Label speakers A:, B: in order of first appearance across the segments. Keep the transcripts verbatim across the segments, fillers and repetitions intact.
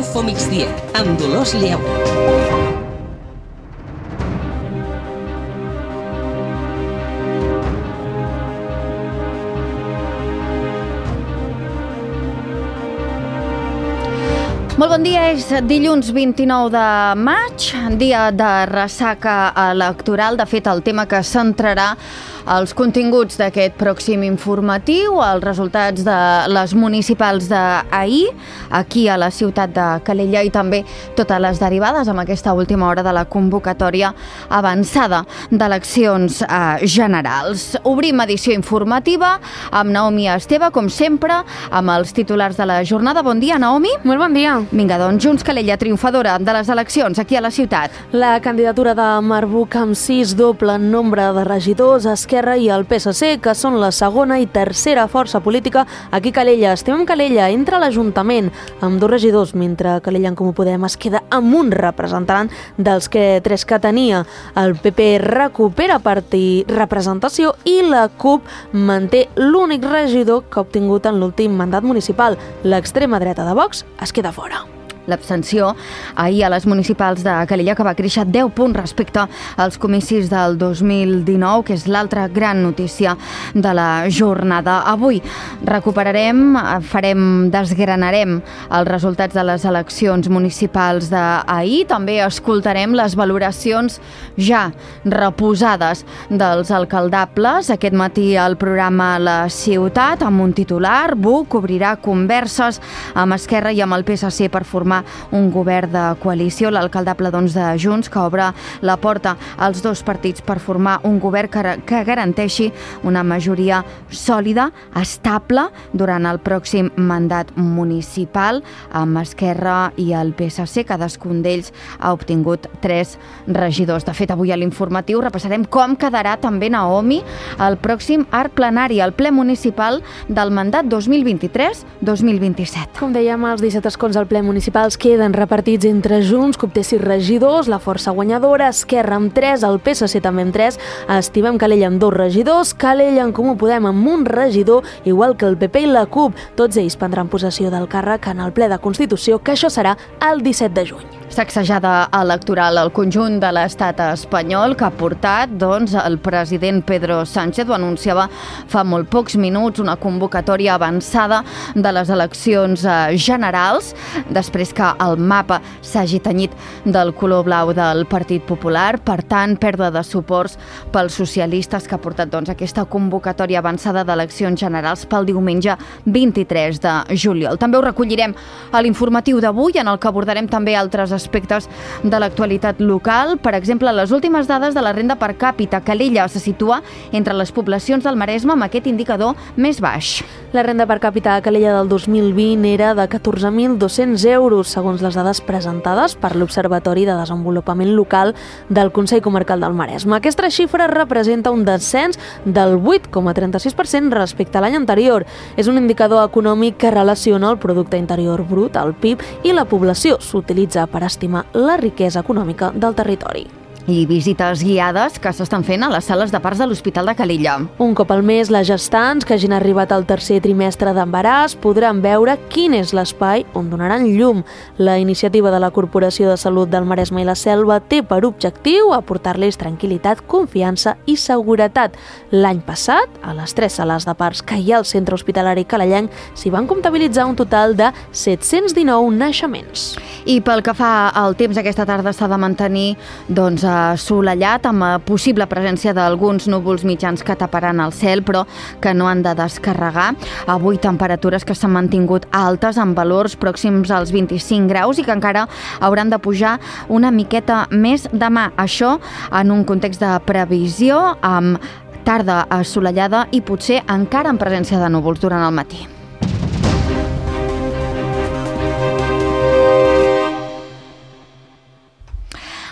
A: Info Migdia, amb Dolors Lleu.
B: Molt bon dia, és dilluns vint-i-nou de maig, dia de ressaca electoral. De fet, el tema que centrarà els continguts d'aquest pròxim informatiu, els resultats de les municipals d'ahir, aquí a la ciutat de Calella, i també totes les derivades amb aquesta última hora de la convocatòria avançada d'eleccions eh, generals. Obrim edició informativa amb Naomi Esteve, com sempre, amb els titulars de la jornada. Bon dia, Naomi.
C: Molt bon dia.
B: Vinga, doncs, Junts Calella, triomfadora de les eleccions aquí a la ciutat.
C: La candidatura de Marbuc amb sis doble nombre de regidors, Esquerra i el P S C, que són la segona i tercera força política aquí a Calella. Estimem Calella, entra l'Ajuntament amb dos regidors, mentre Calella en Comú Podem es queda amb un representant dels que tres que tenia. El P P recupera partir representació i la CUP manté l'únic regidor que ha obtingut en l'últim mandat municipal. L'extrema dreta de Vox es queda fora.
B: L'abstenció ahir a les municipals de Calella, que va créixer deu punts respecte als comicis del dos mil dinou, que és l'altra gran notícia de la jornada. Avui recuperarem, farem, desgranarem els resultats de les eleccions municipals d'ahir. També escoltarem les valoracions ja reposades dels alcaldables. Aquest matí al programa La Ciutat, amb un titular, Buc obrirà converses amb Esquerra i amb el P S C per formar un govern de coalició. L'alcaldable doncs, de Junts, que obre la porta als dos partits per formar un govern que, que garanteixi una majoria sòlida, estable, durant el pròxim mandat municipal, amb Esquerra i el P S C. Cadascun d'ells ha obtingut tres regidors. De fet, avui a l'informatiu repassarem com quedarà també, Naomi, el pròxim arc plenari, el ple municipal del mandat dos mil vint-i-tres dos mil vint-i-set.
C: Com dèiem, els disset escons al ple municipal queden repartits entre Junts, que obté sis regidors, la força guanyadora, Esquerra amb tres, el P S C també amb tres, Estimem Calella amb dos regidors, Calella en Comú Podem amb un regidor, igual que el P P i la CUP. Tots ells prendran possessió del càrrec en el ple de Constitució, que això serà el disset de juny.
B: Sacsejada electoral al conjunt de l'estat espanyol que ha portat doncs, el president Pedro Sánchez, ho anunciava fa molt pocs minuts, una convocatòria avançada de les eleccions generals, després que el mapa s'hagi tenyit del color blau del Partit Popular. Per tant, pèrdua de suports pels socialistes, que ha portat doncs, aquesta convocatòria avançada d'eleccions generals pel diumenge vint-i-tres de juliol. També ho recollirem a l'informatiu d'avui, en el que abordarem també altres aspectes de l'actualitat local. Per exemple, les últimes dades de la renda per càpita. Calella se situa entre les poblacions del Maresme amb aquest indicador més baix.
C: La renda per càpita a Calella del dos mil vint era de catorze mil dos-cents euros, segons les dades presentades per l'Observatori de Desenvolupament Local del Consell Comarcal del Maresme. Aquesta xifra representa un descens del vuit coma trenta-sis per cent respecte a l'any anterior. És un indicador econòmic que relaciona el producte interior brut, el P I B, i la població. S'utilitza per estimar la riquesa econòmica del territori.
B: I visites guiades que s'estan fent a les sales de parts de l'Hospital de Calella.
C: Un cop al mes, les gestants que hagin arribat al tercer trimestre d'embaràs podran veure quin és l'espai on donaran llum. La iniciativa de la Corporació de Salut del Maresme i la Selva té per objectiu aportar-los tranquil·litat, confiança i seguretat. L'any passat, a les tres sales de parts que hi ha al centre hospitalari calellenc, s'hi van comptabilitzar un total de set-cents dinou naixements.
B: I pel que fa al temps, aquesta tarda s'ha de mantenir doncs, assolellat, amb possible presència d'alguns núvols mitjans que taparan el cel, però que no han de descarregar. Avui temperatures que s'han mantingut altes, amb valors pròxims als vint-i-cinc graus i que encara hauran de pujar una miqueta més demà. Això en un context de previsió amb tarda assolellada i potser encara en presència de núvols durant el matí.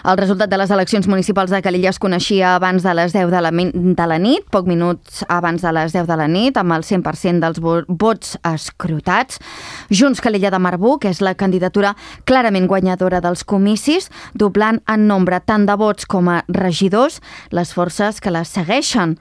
B: El resultat de les eleccions municipals de Calella es coneixia abans de les deu de la, de la nit, poc minuts abans de les deu de la nit, amb el cent per cent dels vots escrutats. Junts Calella de Marbuc és la candidatura clarament guanyadora dels comicis, doblant en nombre tant de vots com a regidors les forces que les segueixen.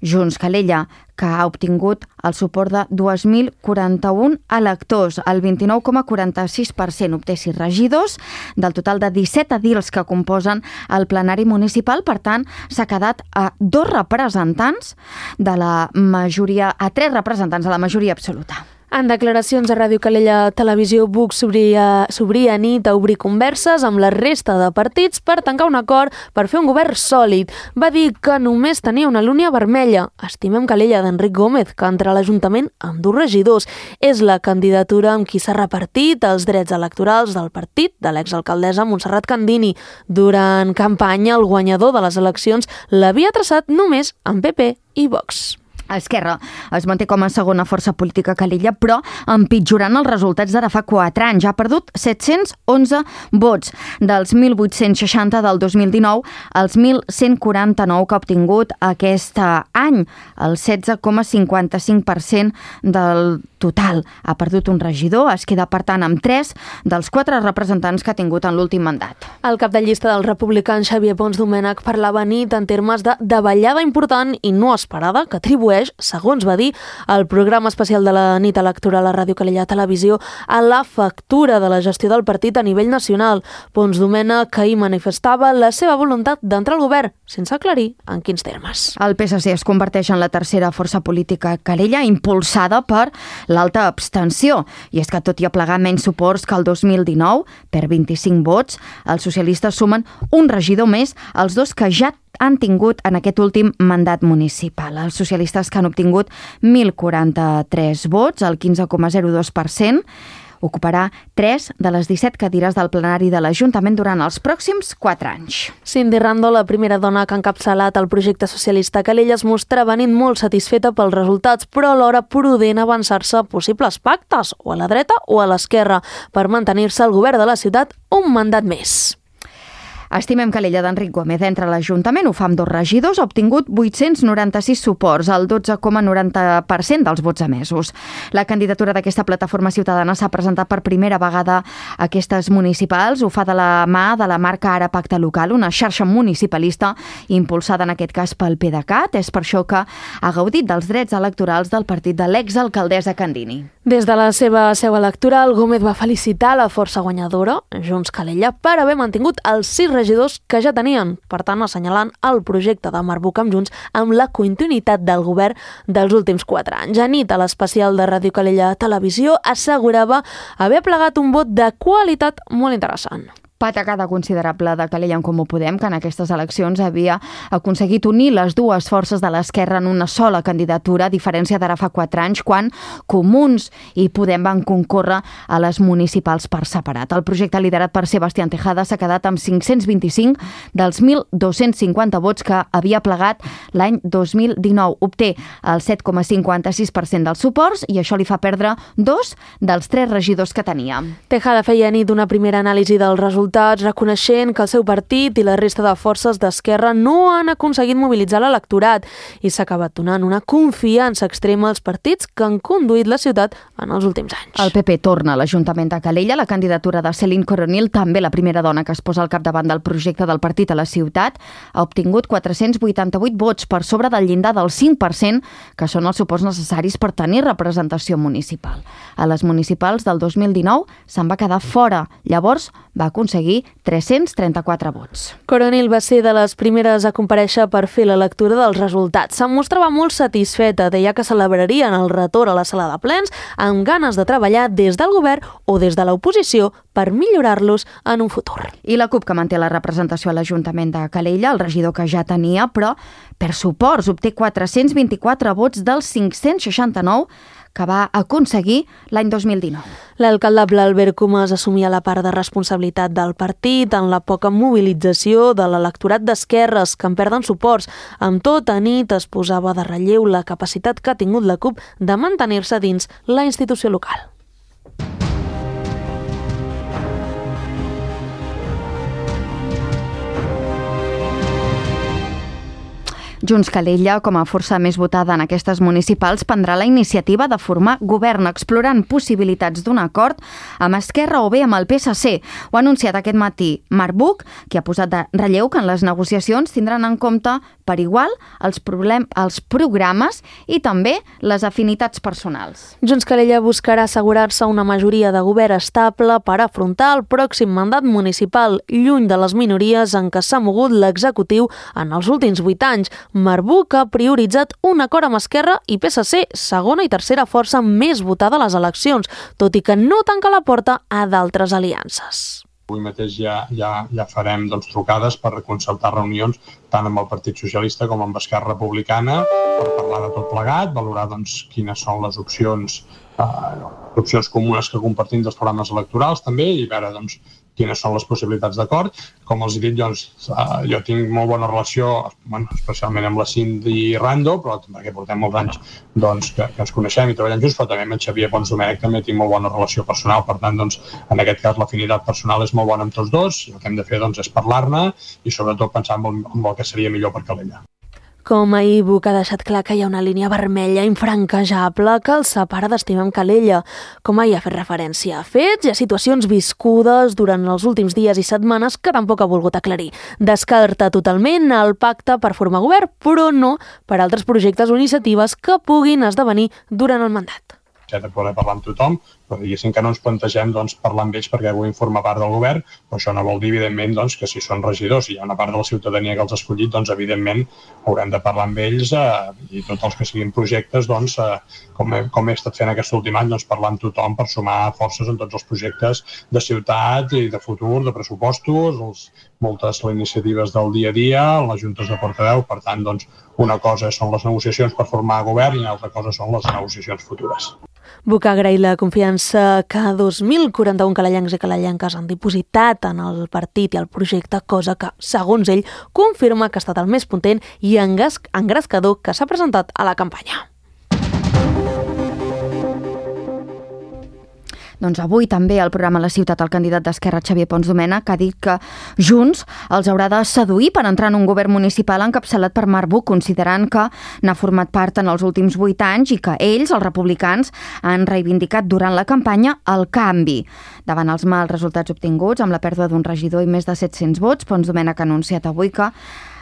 B: Junts Calella, que ha obtingut el suport de dos mil quaranta-un electors. El vint-i-nou coma quaranta-sis per cent obté sis regidors del total de disset edils que composen el plenari municipal. Per tant, s'ha quedat a dos representants de la majoria, a tres representants de la majoria absoluta.
C: En declaracions a Ràdio Calella Televisió, Buch s'obria, s'obria nit a obrir converses amb la resta de partits per tancar un acord per fer un govern sòlid. Va dir que només tenia una línia vermella. Estimem Calella d'Enric Gómez, que entra a l'Ajuntament amb dos regidors. És la candidatura amb qui s'ha repartit els drets electorals del partit de l'exalcaldessa Montserrat Candini. Durant campanya, el guanyador de les eleccions l'havia traçat només amb P P i Vox.
B: Esquerra es manté com a segona força política a Calella, però empitjorant els resultats d'ara fa quatre anys. Ha perdut set-cents onze vots, dels mil vuit-cents seixanta del dos mil dinou als mil cent quaranta-nou que ha obtingut aquest any, el setze coma cinquanta-cinc per cent del total. Ha perdut un regidor, es queda per tant amb tres dels quatre representants que ha tingut en l'últim mandat.
C: El cap de llista dels republicans, Xavier Pons Domènech, parlava nit en termes de davallada important i no esperada que atribueix, segons va dir, el programa especial de la nit electoral a Ràdio Calella Televisió a la factura de la gestió del partit a nivell nacional. Pons Domènech ahir manifestava la seva voluntat d'entrar al govern, sense aclarir en quins termes.
B: El P S C es converteix en la tercera força política a Calella, impulsada per l'alta abstenció. I és que tot i aplegar menys suports que el dos mil dinou, per vint-i-cinc vots, els socialistes sumen un regidor més als dos que ja han tingut en aquest últim mandat municipal. Els socialistes, que han obtingut mil quaranta-tres vots, el quinze coma zero dos per cent, ocuparà tres de les disset cadires del plenari de l'Ajuntament durant els pròxims quatre anys.
C: Cindy Rando, la primera dona que ha encapçalat el projecte socialista a Calella, es mostrava nit molt satisfeta pels resultats, però alhora prudent avançar-se a possibles pactes, o a la dreta o a l'esquerra, per mantenir-se al govern de la ciutat un mandat més.
B: Estimem Calella d'Enric Gómez entra a l'Ajuntament, ho fa amb dos regidors, ha obtingut vuit-cents noranta-sis suports, el dotze coma noranta per cent dels vots emesos. La candidatura d'aquesta plataforma ciutadana s'ha presentat per primera vegada a aquestes municipals, ho fa de la mà de la marca Ara Pacte Local, una xarxa municipalista impulsada en aquest cas pel PDeCAT. És per això que ha gaudit dels drets electorals del partit de l'exalcaldessa Candini.
C: Des de la seva seu electoral, Gómez va felicitar la força guanyadora, Junts Calella, per haver mantingut els sis regidors que ja tenien, per tant assenyalant el projecte de Marbuc amb Junts amb la continuïtat del govern dels últims quatre anys. A nit, a l'especial de Ràdio Calella Televisió, assegurava haver plegat un vot de qualitat molt interessant.
B: Patacada considerable de Calella en Comú Podem, que en aquestes eleccions havia aconseguit unir les dues forces de l'esquerra en una sola candidatura, a diferència d'ara fa quatre anys, quan Comuns i Podem van concórrer a les municipals per separat. El projecte liderat per Sebastián Tejada s'ha quedat amb cinc-cents vint-i-cinc dels mil dos-cents cinquanta vots que havia plegat l'any dos mil dinou. Obté el set coma cinquanta-sis per cent dels suports i això li fa perdre dos dels tres regidors que tenia.
C: Tejada feia nit una primera anàlisi del resultat, reconeixent que el seu partit i la resta de forces d'esquerra no han aconseguit mobilitzar l'electorat i s'ha acabat donant una confiança extrema als partits que han conduït la ciutat en els últims anys.
B: El P P torna a l'Ajuntament de Calella. La candidatura de Céline Coronil, també la primera dona que es posa al capdavant del projecte del partit a la ciutat, ha obtingut quatre-cents vuitanta-vuit vots, per sobre del llindar del cinc per cent, que són els suports necessaris per tenir representació municipal. A les municipals del dos mil dinou se'n va quedar fora. Llavors va aconseguir tres-cents trenta-quatre vots.
C: Coronil va ser de les primeres a comparèixer per fer la lectura dels resultats. Se'n mostrava molt satisfeta, deia que celebrarien el retorn a la sala de plens amb ganes de treballar des del govern o des de l'oposició per millorar-los en un futur.
B: I la CUP, que manté la representació a l'Ajuntament de Calella, el regidor que ja tenia, però per suports obté quatre-cents vint-i-quatre vots dels cinc-cents seixanta-nou que va aconseguir l'any dos mil dinou.
C: L'alcaldable Albert Comas assumia la part de responsabilitat del partit en la poca mobilització de l'electorat d'esquerres, que en perden suports. Amb tot, a nit es posava de relleu la capacitat que ha tingut la CUP de mantenir-se dins la institució local.
B: Junts Calella, com a força més votada en aquestes municipals, prendrà la iniciativa de formar govern, explorant possibilitats d'un acord amb Esquerra o bé amb el P S C. Ho ha anunciat aquest matí Marbuc, que ha posat de relleu que en les negociacions tindran en compte per igual els, problem, els programes i també les afinitats personals.
C: Junts Calella buscarà assegurar-se una majoria de govern estable per afrontar el pròxim mandat municipal, lluny de les minories en què s'ha mogut l'executiu en els últims vuit anys. Marbuc ha prioritzat un acord amb Esquerra i P S C, segona i tercera força més votada a les eleccions, tot i que no tanca la porta a d'altres aliances.
D: Avui mateix ja, ja, ja farem doncs, trucades per concertar reunions tant amb el Partit Socialista com amb Esquerra Republicana per parlar de tot plegat, valorar doncs, quines són les opcions, eh, opcions comunes que compartim dels programes electorals també i veure doncs, quines són les possibilitats d'acord. Com els he dit, doncs, eh, jo tinc molt bona relació, bueno, especialment amb la Cindy Rando, però perquè portem molts anys doncs, que, que ens coneixem i treballem junts, però també amb en Xavier Pons Domènech també tinc molt bona relació personal, per tant, doncs, en aquest cas l'afinitat personal és molt bona amb tots dos i el que hem de fer doncs, és parlar-ne i sobretot pensar en el, en el que seria millor per Calella.
C: Com ahir Buch ha deixat clar que hi ha una línia vermella infranquejable que el separa d'Estimem Calella. Com ahir ha fet referència a fets i a situacions viscudes durant els últims dies i setmanes que tampoc ha volgut aclarir. Descarta totalment el pacte per formar govern, però no per altres projectes o iniciatives que puguin esdevenir durant el mandat.
D: De poder parlar amb tothom, però diguéssim que no ens plantegem doncs, parlar amb ells perquè vulguin formar part del govern, però això no vol dir, evidentment, doncs, que si són regidors i hi ha una part de la ciutadania que els ha escollit, doncs, evidentment, haurem de parlar amb ells eh, i tots els que siguin projectes, doncs, eh, com, he, com he estat fent aquest últim any, doncs, parlar amb tothom per sumar forces en tots els projectes de ciutat i de futur, de pressupostos, els, moltes les iniciatives del dia a dia, les juntes de portaveu, per tant, doncs, una cosa són les negociacions per formar govern i una altra cosa són les negociacions futures.
C: Buch ha agraït la confiança que dos mil quaranta-un calellencs i calellenques han dipositat en el partit i el projecte, cosa que, segons ell, confirma que ha estat el més potent i engrescador que s'ha presentat a la campanya.
B: Doncs avui també al programa La Ciutat el candidat d'Esquerra Xavier Pons Domènech ha dit que Junts els haurà de seduir per entrar en un govern municipal encapçalat per Marbuc, considerant que n'ha format part en els últims vuit anys i que ells, els republicans, han reivindicat durant la campanya el canvi. Davant els mals resultats obtinguts, amb la pèrdua d'un regidor i més de set-cents vots, Pons Domènech ha anunciat avui que,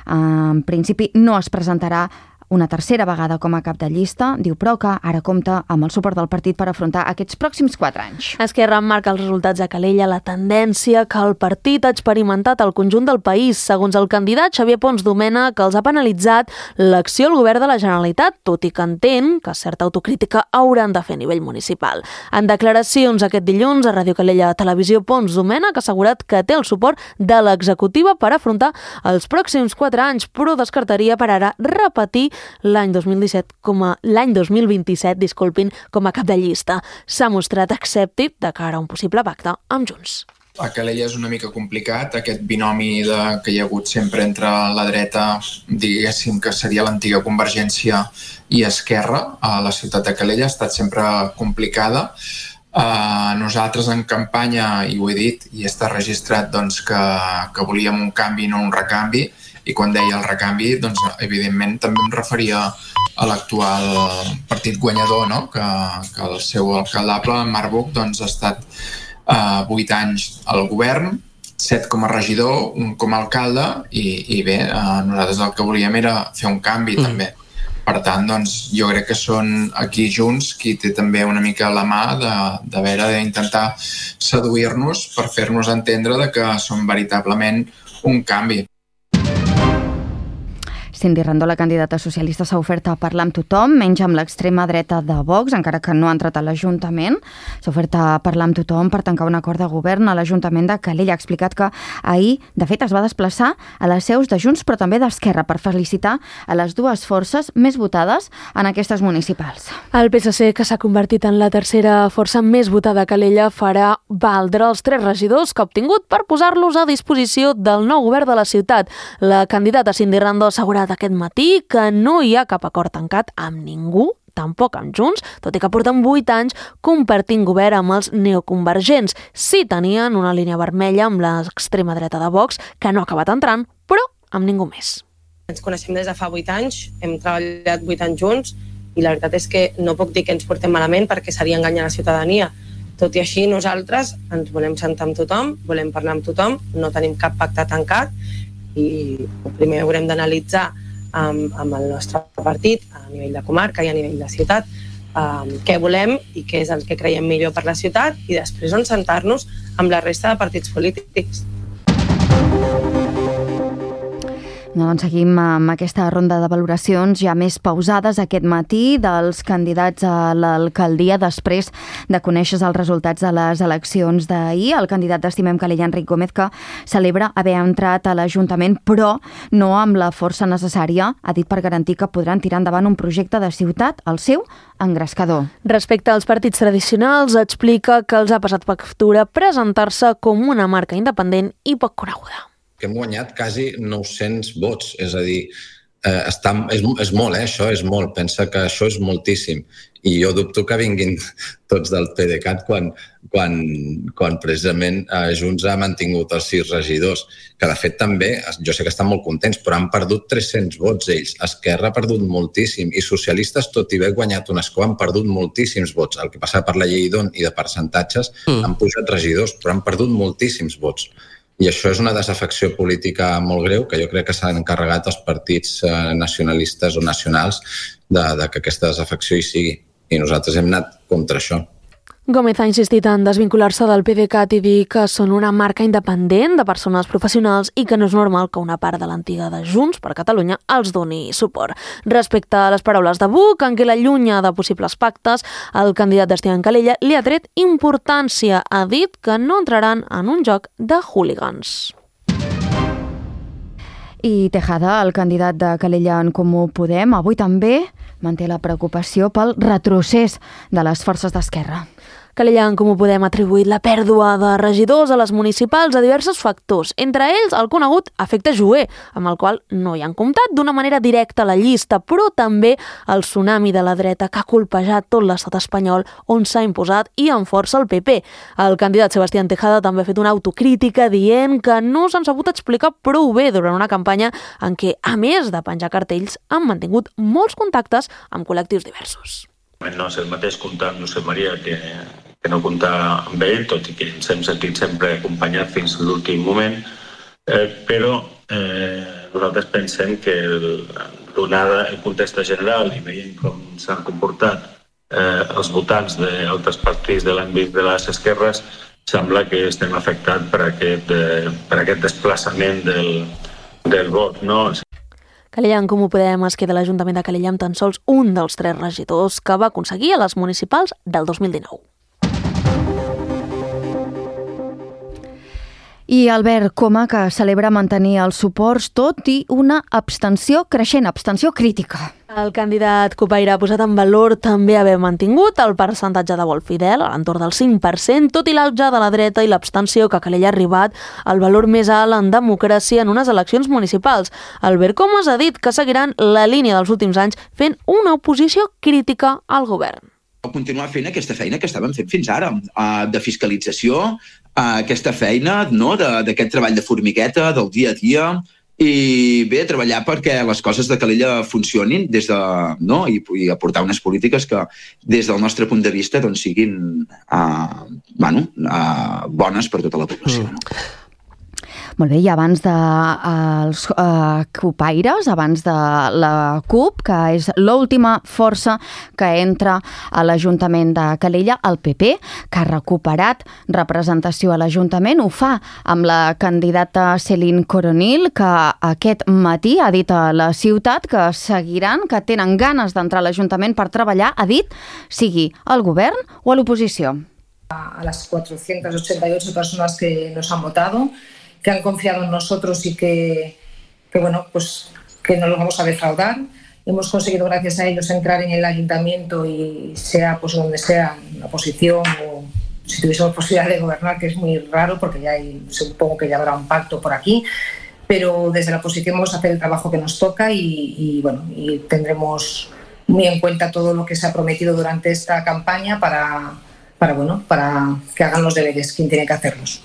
B: en principi, no es presentarà una tercera vegada com a cap de llista, diu però que ara compta amb el suport del partit per afrontar aquests pròxims quatre anys.
C: Esquerra marca els resultats a Calella la tendència que el partit ha experimentat al conjunt del país. Segons el candidat Xavier Pons Domènech, que els ha penalitzat l'acció al govern de la Generalitat, tot i que entén que certa autocrítica hauran de fer a nivell municipal. En declaracions aquest dilluns a Ràdio Calella Televisió, Pons Domènech ha assegurat que té el suport de l'executiva per afrontar els pròxims quatre anys, però descartaria per ara repetir l'any dos mil disset com a l'any dos mil vint-i-set, disculpin, com a cap de llista. S'ha mostrat escèptic de cara a un possible pacte amb Junts.
E: A Calella és una mica complicat, aquest binomi de, que hi ha hagut sempre entre la dreta, diguéssim que seria l'antiga Convergència i Esquerra, a la ciutat de Calella ha estat sempre complicada. Uh, nosaltres en campanya, i ho he dit, i està registrat doncs, que, que volíem un canvi, no un recanvi, i quan deia el recanvi, doncs, evidentment també em referia a l'actual partit guanyador, no? que, que el seu alcaldable, Marc Buch, doncs, ha estat uh, vuit anys al govern, set com a regidor, un com a alcalde, i, i bé, uh, nosaltres el que volíem era fer un canvi mm. també. Per tant, doncs, jo crec que són aquí Junts qui té també una mica la mà de, de veure d'intentar seduir-nos per fer-nos entendre de que som veritablement un canvi.
B: Cindy Rando, la candidata socialista, s'ha ofert a parlar amb tothom, menys amb l'extrema dreta de Vox, encara que no ha entrat a l'Ajuntament. S'ha ofert a parlar amb tothom per tancar un acord de govern a l'Ajuntament de Calella. Ha explicat que ahir, de fet, es va desplaçar a les seus de Junts, però també d'Esquerra, per felicitar a les dues forces més votades en aquestes municipals.
C: El P S C, que s'ha convertit en la tercera força més votada a Calella, farà valdre els tres regidors que ha obtingut per posar-los a disposició del nou govern de la ciutat. La candidata Cindy Rando ha assegurat aquest matí que no hi ha cap acord tancat amb ningú, tampoc amb Junts, tot i que porten vuit anys compartint govern amb els neoconvergents. Sí tenien una línia vermella amb l'extrema dreta de Vox, que no ha acabat entrant, però amb ningú més.
F: Ens coneixem des de fa vuit anys, hem treballat vuit anys junts i la veritat és que no puc dir que ens portem malament perquè seria enganyar la ciutadania. Tot i així, nosaltres ens volem sentar amb tothom, volem parlar amb tothom, no tenim cap pacte tancat i primer haurem d'analitzar amb, amb el nostre partit a nivell de comarca i a nivell de ciutat, um, què volem i què és el que creiem millor per la ciutat, i després on sentar-nos amb la resta de partits polítics.
B: Doncs seguim amb aquesta ronda de valoracions ja més pausades aquest matí dels candidats a l'alcaldia després de conèixer els resultats de les eleccions d'ahir. El candidat d'Estimem Calella, Enric Gómez, que celebra haver entrat a l'Ajuntament, però no amb la força necessària, ha dit, per garantir que podran tirar endavant un projecte de ciutat, el seu, engrescador.
C: Respecte als partits tradicionals, explica que els ha passat factura presentar-se com una marca independent i poc coneguda.
G: Que hem guanyat quasi nou-cents vots, és a dir, eh, està, és, és molt, eh, això és molt, pensa que això és moltíssim, i jo dubto que vinguin tots del PDeCAT quan, quan, quan precisament eh, Junts ha mantingut els sis regidors, que de fet també, jo sé que estan molt contents, però han perdut tres-cents vots ells, Esquerra ha perdut moltíssim, i socialistes, tot i haver guanyat un escó, han perdut moltíssims vots, el que passa per la llei d'On i de percentatges, mm. han pujat regidors, però han perdut moltíssims vots. I això és una desafecció política molt greu que jo crec que s'han encarregat els partits nacionalistes o nacionals de, de que aquesta desafecció hi sigui. I nosaltres hem anat contra això.
C: Gómez ha insistit en desvincular-se del PDeCAT i dir que són una marca independent de persones professionals i que no és normal que una part de l'antiga de Junts per Catalunya els doni suport. Respecte a les paraules de Buch, en què l'allunya de possibles pactes, el candidat d'Estimem Calella li ha tret importància. Ha dit que no entraran en un joc de hooligans.
B: I Tejada, el candidat de Calella en Comú Podem, avui també manté la preocupació pel retrocés de les forces d'esquerra.
C: Calella en Comú Podem ha atribuït la pèrdua de regidors a les municipals a diversos factors, entre ells el conegut efecte Jover, amb el qual no hi han comptat d'una manera directa a la llista, però també el tsunami de la dreta que ha colpejat tot l'estat espanyol on s'ha imposat i amb força el P P. El candidat Sebastián Tejada també ha fet una autocrítica dient que no s'han sabut explicar prou bé durant una campanya en què, a més de penjar cartells, han mantingut molts contactes amb col·lectius diversos.
H: No és el mateix comptar amb Josep Maria que, que no comptar amb ell, tot i que ens hem sentit sempre acompanyat fins a l'últim moment, eh, però eh, nosaltres pensem que el, donada el context general i veient com s'han comportat eh, els votants d'altres partits de l'àmbit de les esquerres, sembla que estem afectats per aquest, eh, per aquest desplaçament del, del vot, no?
C: Calella en Comú Podem es queda a l'Ajuntament de Calella amb tan sols un dels tres regidors que va aconseguir a les municipals del dos mil dinou.
B: I Albert Coma, que celebra mantenir els suports tot i una abstenció creixent, abstenció crítica.
C: El candidat copaire ha posat en valor també haver mantingut el percentatge de vot fidel a l'entorn del cinc per cent, tot i l'auge de la dreta i l'abstenció que a Calella ha arribat al valor més alt en democràcia en unes eleccions municipals. Albert Comas ha dit que seguiran la línia dels últims anys fent una oposició crítica al govern.
I: Continuar fent aquesta feina que estàvem fent fins ara, de fiscalització, aquesta feina, no, d'aquest treball de formigueta, del dia a dia, i bé, treballar perquè les coses de Calella funcionin des de, no, i, i aportar unes polítiques que des del nostre punt de vista doncs, siguin uh, bueno, uh, bones per tota la població. Mm. No?
B: Molt bé, i abans dels uh, uh, copaires, abans de la CUP, que és l'última força que entra a l'Ajuntament de Calella, el P P, que ha recuperat representació a l'Ajuntament, ho fa amb la candidata Céline Coronil, que aquest matí ha dit a la ciutat que seguiran, que tenen ganes d'entrar a l'Ajuntament per treballar, ha dit, sigui al govern o a l'oposició.
J: A las cuatrocientas ochenta y ocho personas que nos han votado, que han confiado en nosotros y que, que, bueno, pues, que no los vamos a defraudar. Hemos conseguido, gracias a ellos, entrar en el ayuntamiento y sea pues donde sea, en la oposición o si tuviésemos posibilidad de gobernar, que es muy raro porque ya hay, supongo que ya habrá un pacto por aquí, pero desde la oposición vamos a hacer el trabajo que nos toca y, y, bueno, y tendremos muy en cuenta todo lo que se ha prometido durante esta campaña para, para, bueno, para que hagan los deberes, quien tiene que hacerlos.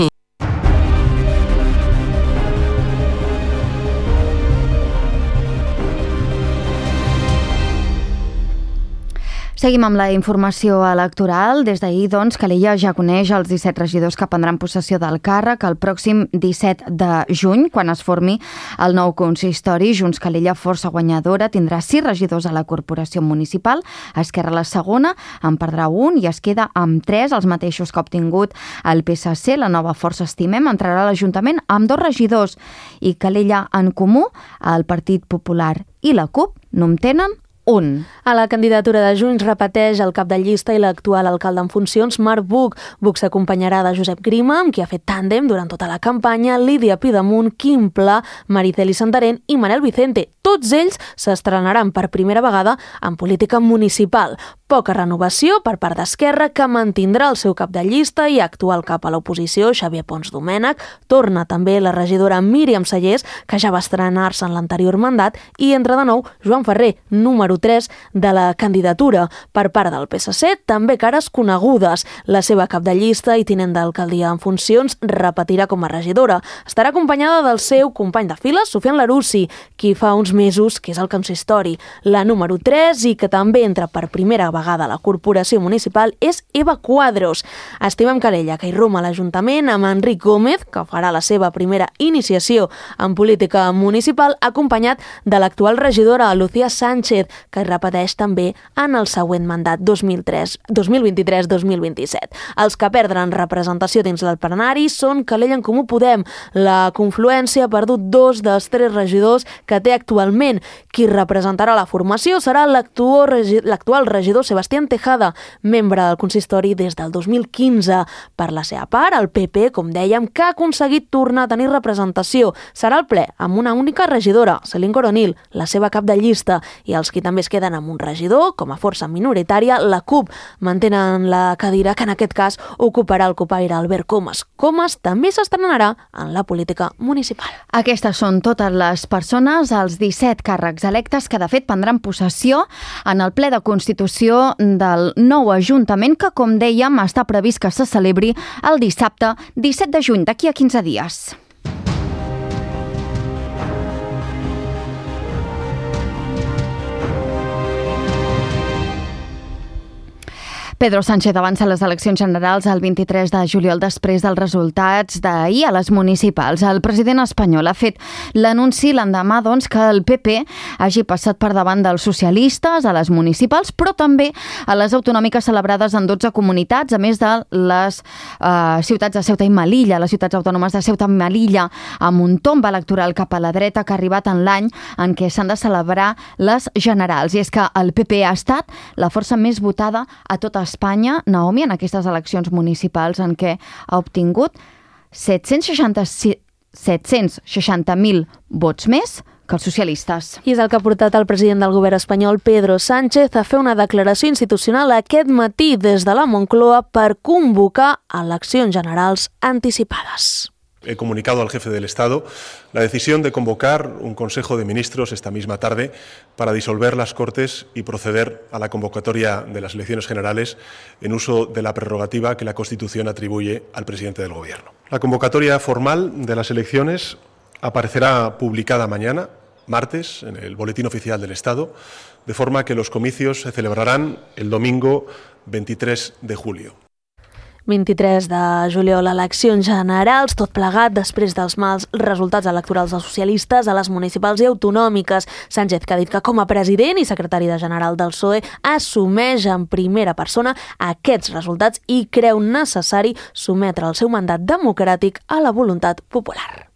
B: Seguim amb la informació electoral. Des d'ahir, doncs, Calella ja coneix els disset regidors que prendran possessió del càrrec el pròxim disset de juny, quan es formi el nou consistori. Junts Calella, força guanyadora, tindrà sis regidors a la corporació municipal. Esquerra, la segona, en perdrà un i es queda amb tres, els mateixos que ha obtingut el P S C. La nova Força Estimem entrarà a l'Ajuntament amb dos regidors i Calella en Comú, el Partit Popular i la CUP no en tenen un.
C: A la candidatura de Junts repeteix el cap de llista i l'actual alcalde en funcions, Marc Buch. Buch s'acompanyarà de Josep Grima, amb qui ha fet tàndem durant tota la campanya, Lídia Pidemunt, Quim Pla, Mariceli Santarén i Manel Vicente. Tots ells s'estrenaran per primera vegada en política municipal. Poca renovació per part d'Esquerra, que mantindrà el seu cap de llista i actual cap a l'oposició, Xavier Pons Domènech. Torna també la regidora Míriam Sallés, que ja va estrenar-se en l'anterior mandat, i entra de nou Joan Ferrer, número tres de la candidatura. Per part del P S C, també cares conegudes. La seva cap de llista i tinent d'alcaldia en funcions repetirà com a regidora. Estarà acompanyada del seu company de files, Sofian Larussi, qui fa uns mesos que és el consistori. La número tres, i que també entra per primera vegada a la corporació municipal, és Eva Cuadros. Estimem Calella, que hi roma a l'Ajuntament amb Enric Gómez, que farà la seva primera iniciació en política municipal, acompanyat de l'actual regidora Lucía Sánchez, que repeteix també en el següent mandat dos mil vint-i-tres dos mil vint-i-set. Els que perdran representació dins del plenari són Calella en Comú Podem. La confluència ha perdut dos dels tres regidors que té actualment. Qui representarà la formació serà l'actual regidor Sebastián Tejada, membre del consistori des del dos mil quinze. Per la seva part, el P P, com dèiem, que ha aconseguit tornar a tenir representació. Serà el ple amb una única regidora, Celine Coronil, la seva cap de llista, i els qui també es queden amb un regidor, com a força minoritària, la CUP, mantenen la cadira que en aquest cas ocuparà el copaire Albert Comas. Comas també s'estrenarà en la política municipal.
B: Aquestes són totes les persones, els disset càrrecs electes que de fet prendran possessió en el ple de Constitució del nou Ajuntament, que, com dèiem, està previst que se celebri el dissabte disset de juny, d'aquí a quinze dies. Pedro Sánchez avança les eleccions generals el vint-i-tres de juliol després dels resultats d'ahir a les municipals. El president espanyol ha fet l'anunci l'endemà, doncs, que el P P hagi passat per davant dels socialistes a les municipals, però també a les autonòmiques celebrades en dotze comunitats, a més de les eh, ciutats de Ceuta i Melilla, les ciutats autònomes de Ceuta i Melilla, amb un tomb electoral cap a la dreta que ha arribat en l'any en què s'han de celebrar les generals. I és que el P P ha estat la força més votada a tota Espanya, Naomi, en aquestes eleccions municipals en què ha obtingut set-cents seixanta mil vots més que els socialistes.
C: I és el que ha portat el president del govern espanyol, Pedro Sánchez, a fer una declaració institucional aquest matí des de la Moncloa per convocar eleccions generals anticipades.
K: He comunicado al jefe del Estado la decisión de convocar un Consejo de Ministros esta misma tarde para disolver las Cortes y proceder a la convocatoria de las elecciones generales en uso de la prerrogativa que la Constitución atribuye al presidente del Gobierno. La convocatoria formal de las elecciones aparecerá publicada mañana, martes, en el Boletín Oficial del Estado, de forma que los comicios se celebrarán el domingo veintitrés de julio.
C: vint-i-tres de juliol, eleccions generals, tot plegat després dels mals resultats electorals dels socialistes a les municipals i autonòmiques. Sánchez, que ha dit que com a president i secretari de general del P S O E assumeix en primera persona aquests resultats i creu necessari sometre el seu mandat democràtic a la voluntat popular.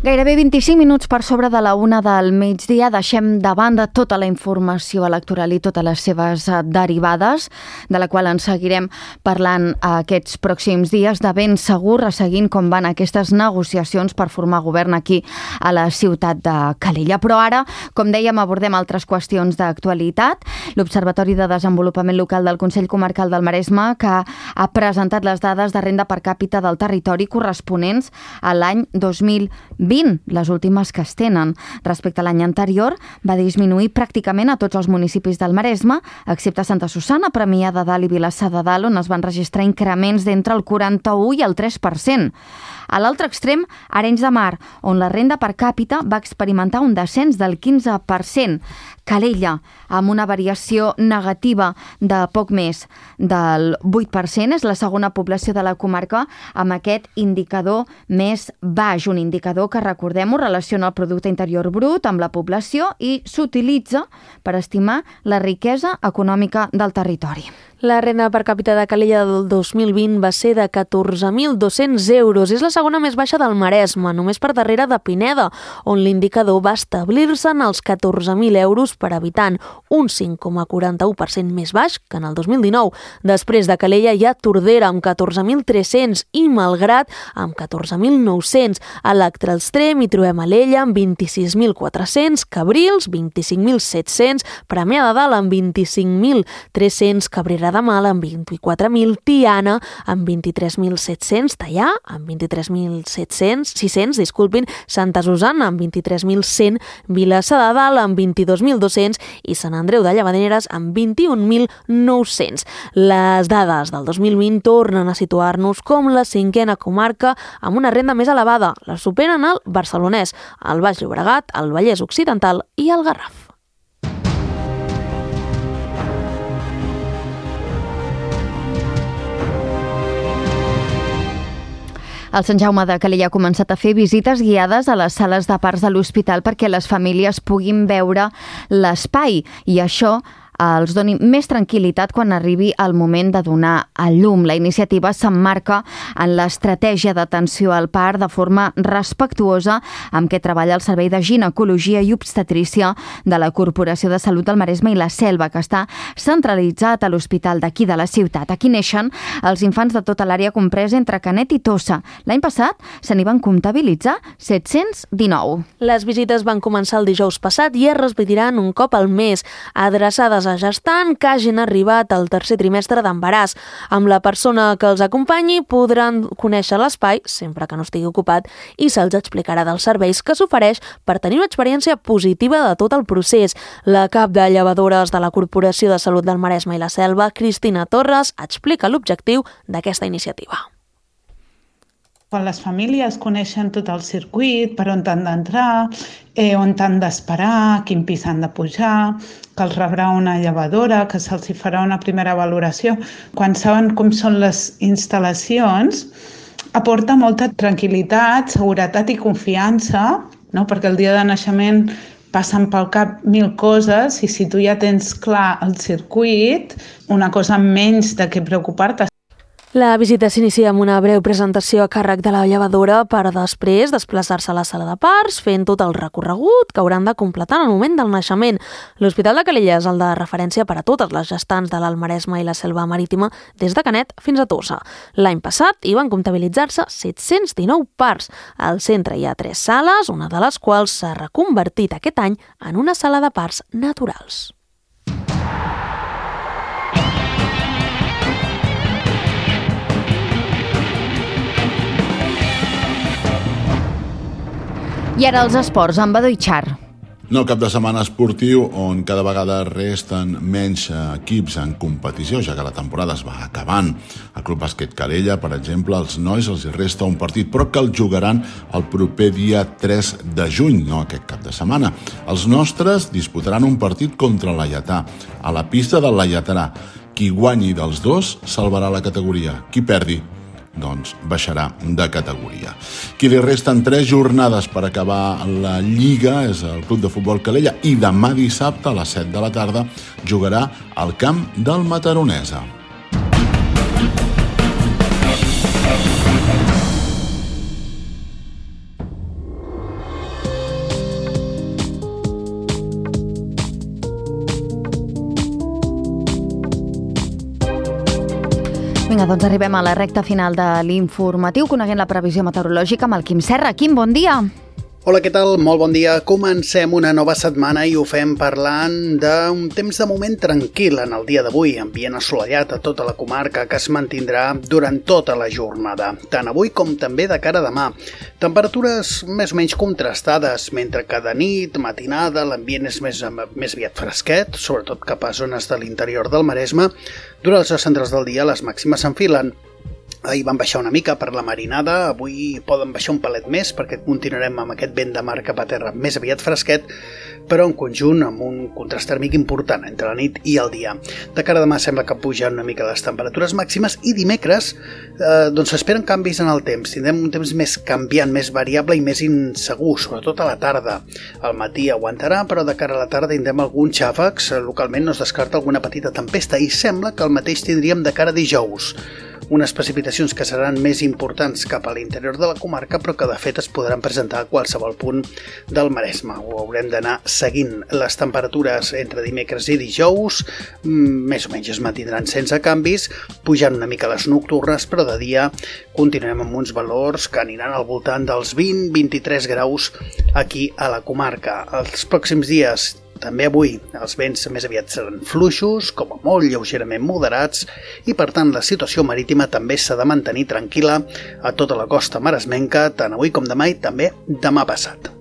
B: Gairebé vint-i-cinc minuts per sobre de la una del migdia. Deixem de banda tota la informació electoral i totes les seves derivades, de la qual ens seguirem parlant aquests pròxims dies, de ben segur, resseguint com van aquestes negociacions per formar govern aquí a la ciutat de Calella. Però ara, com dèiem, abordem altres qüestions d'actualitat. L'Observatori de Desenvolupament Local del Consell Comarcal del Maresme, que ha presentat les dades de renda per càpita del territori corresponents a l'any dos mil vint vint, les últimes que es tenen. Respecte a l'any anterior, va disminuir pràcticament a tots els municipis del Maresme, excepte Santa Susanna, Premià de Dalt i Vilassar de Dalt, on es van registrar increments d'entre el quaranta-u i el tres per cent. A l'altre extrem, Arenys de Mar, on la renda per càpita va experimentar un descens del quinze per cent. Calella, amb una variació negativa de poc més del vuit per cent, és la segona població de la comarca amb aquest indicador més baix, un indicador que, recordem-ho, relaciona el producte interior brut amb la població i s'utilitza per estimar la riquesa econòmica del territori.
C: La renda per càpita de Calella del dos mil vint va ser de catorze mil dos-cents euros. És la segona més baixa del Maresme, només per darrere de Pineda, on l'indicador va establir-se en els catorze mil euros per habitant, un cinc coma quaranta-u per cent més baix que en el dos mil dinou. Després de Calella hi ha Tordera, amb catorze mil tres-cents, i Malgrat, amb catorze mil nou-cents. A l'altre extrem hi trobem Alella, amb vint-i-sis mil quatre-cents, Cabrils, vint-i-cinc mil set-cents, Premià de Dalt, amb vint-i-cinc mil tres-cents, Cabrera de Mal, amb vint-i-quatre mil, Tiana, amb vint-i-tres mil set-cents, Tallà, amb vint-i-tres mil set-cents, sis-cents, disculpin, Santa Susanna, amb vint-i-tres mil cent, Vilassar de Dalt, amb vint-i-dos mil dos-cents i Sant Andreu de Llavaneres, amb vint-i-un mil nou-cents. Les dades del dos mil vint tornen a situar-nos com la cinquena comarca amb una renda més elevada. La superen el Barcelonès, el Baix Llobregat, el Vallès Occidental i el Garraf.
B: El Sant Jaume de Calella ha començat a fer visites guiades a les sales de parts de l'hospital perquè les famílies puguin veure l'espai i això els doni més tranquil·litat quan arribi el moment de donar a llum. La iniciativa s'emmarca en l'estratègia d'atenció al part de forma respectuosa amb què treballa el Servei de Ginecologia i Obstetrícia de la Corporació de Salut del Maresme i la Selva, que està centralitzat a l'hospital d'aquí de la ciutat. Aquí neixen els infants de tota l'àrea compresa entre Canet i Tossa. L'any passat se n'hi van comptabilitzar set-cents dinou.
C: Les visites van començar el dijous passat i es repetiran un cop al mes, adreçades a gestant que hagin arribat al tercer trimestre d'embaràs. Amb la persona que els acompanyi podran conèixer l'espai, sempre que no estigui ocupat, i se'ls explicarà dels serveis que s'ofereix per tenir una experiència positiva de tot el procés. La cap de llevadores de la Corporació de Salut del Maresme i la Selva, Cristina Torres, explica l'objectiu d'aquesta iniciativa.
L: Quan les famílies coneixen tot el circuit, per on han d'entrar, eh, on han d'esperar, quin pis han de pujar, que els rebrà una llevadora, que se'ls farà una primera valoració. Quan saben com són les instal·lacions, aporta molta tranquil·litat, seguretat i confiança, no? Perquè el dia de naixement passen pel cap mil coses i si tu ja tens clar el circuit, una cosa menys de què preocupar-te.
C: La visita s'inicia amb una breu presentació a càrrec de la llevadora per després desplaçar-se a la sala de parts, fent tot el recorregut que hauran de completar en el moment del naixement. L'Hospital de Calella és el de referència per a totes les gestants de l'Alt Maresme i la Selva Marítima, des de Canet fins a Tossa. L'any passat hi van comptabilitzar-se set-cents dinou parts. Al centre hi ha tres sales, una de les quals s'ha reconvertit aquest any en una sala de parts naturals.
B: I ara els esports, amb Badó i Char.
M: No cap de setmana esportiu on cada vegada resten menys equips en competició, ja que la temporada es va acabant. Al Club Bàsquet Calella, per exemple, als nois els resta un partit, però que el jugaran el proper dia tres de juny, no aquest cap de setmana. Els nostres disputaran un partit contra el Laietà, a la pista del Laietarà. Qui guanyi dels dos salvarà la categoria. Qui perdi, doncs baixarà de categoria. Qui li resten tres jornades per acabar la Lliga és el Club de Futbol Calella i demà dissabte a les set de la tarda jugarà al camp del Mataronesa.
B: Vinga, doncs arribem a la recta final de l'informatiu, coneguent la previsió meteorològica amb el Quim Serra. Quim, bon dia.
N: Hola, què tal? Molt bon dia. Comencem una nova setmana i ho fem parlant d'un temps de moment tranquil en el dia d'avui, ambient assolellat a tota la comarca que es mantindrà durant tota la jornada, tant avui com també de cara a demà. Temperatures més o menys contrastades, mentre que de nit, matinada, l'ambient és més, més aviat fresquet, sobretot cap a zones de l'interior del Maresme. Durant les hores centrals del dia les màximes s'enfilen. Ahir van baixar una mica per la marinada, avui poden baixar un palet més perquè continuarem amb aquest vent de mar cap a terra més aviat fresquet, però en conjunt amb un contrast tèrmic important entre la nit i el dia. De cara a demà sembla que pugen una mica les temperatures màximes i dimecres eh, doncs s'esperen canvis en el temps. Tindrem un temps més canviant, més variable i més insegur, sobretot a la tarda. Al matí aguantarà, però de cara a la tarda tindrem alguns xàfecs, localment no es descarta alguna petita tempesta i sembla que el mateix tindríem de cara a dijous. Unes precipitacions que seran més importants cap a l'interior de la comarca, però que de fet es podran presentar a qualsevol punt del Maresme. Ho haurem d'anar seguint. Les temperatures entre dimecres i dijous més o menys es mantindran sense canvis, pujant una mica les nocturnes, però de dia continuem amb uns valors que aniran al voltant dels vint a vint-i-tres graus aquí a la comarca. Els pròxims dies, també avui, els vents més aviat seran fluixos, com a molt lleugerament moderats, i per tant la situació marítima també s'ha de mantenir tranquil·la a tota la costa maresmenca, tant avui com demà i també demà passat.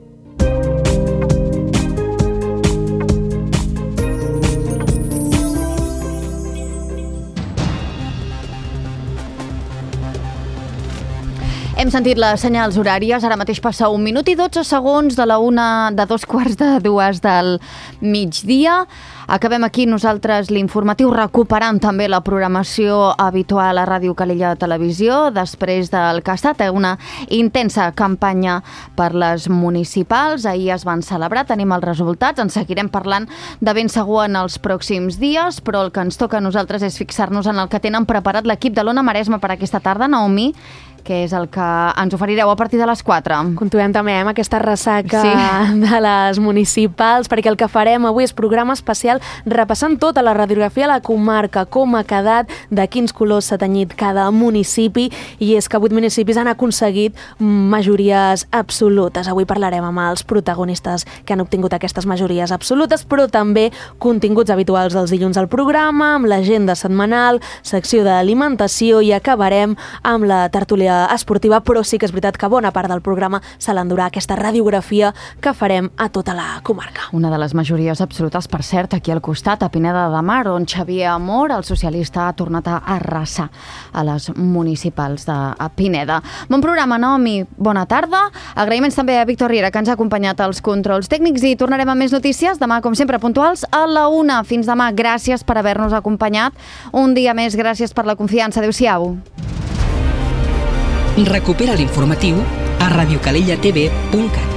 B: Hem sentit les senyals horàries, ara mateix passa un minut i dotze segons de la una de dos quarts de dues del migdia. Acabem aquí nosaltres l'informatiu recuperant també la programació habitual a Ràdio Calella Televisió després del que ha estat una intensa campanya per les municipals. Ahir es van celebrar, tenim els resultats, en seguirem parlant de ben segur en els pròxims dies, però el que ens toca a nosaltres és fixar-nos en el que tenen preparat l'equip de l'Ona Maresme per aquesta tarda, Naomi, que és el que ens oferireu a partir de les quatre.
C: Continuem també amb aquesta ressaca
B: sí.
C: de les municipals, perquè el que farem avui és programa especial repassant tota la radiografia a la comarca, com ha quedat, de quins colors s'ha tenyit cada municipi, i és que vuit municipis han aconseguit majories absolutes. Avui parlarem amb els protagonistes que han obtingut aquestes majories absolutes, però també continguts habituals dels dilluns al programa, amb l'agenda setmanal, secció d'alimentació, i acabarem amb la tertúlia esportiva, però sí que és veritat que bona part del programa se l'endurà aquesta radiografia que farem a tota la comarca.
B: Una de les majories absolutes, per cert, aquí al costat, a Pineda de Mar, on Xavier Amor, el socialista, ha tornat a arrasar a les municipals de Pineda. Bon programa, Naomi, bona tarda. Agraïments també a Víctor Riera, que ens ha acompanyat als controls tècnics, i tornarem amb més notícies demà, com sempre, puntuals a la una. Fins demà. Gràcies per haver-nos acompanyat. Un dia més, gràcies per la confiança. Adéu-siau.
A: Recupera l'informatiu a radiocalellatv punt cat.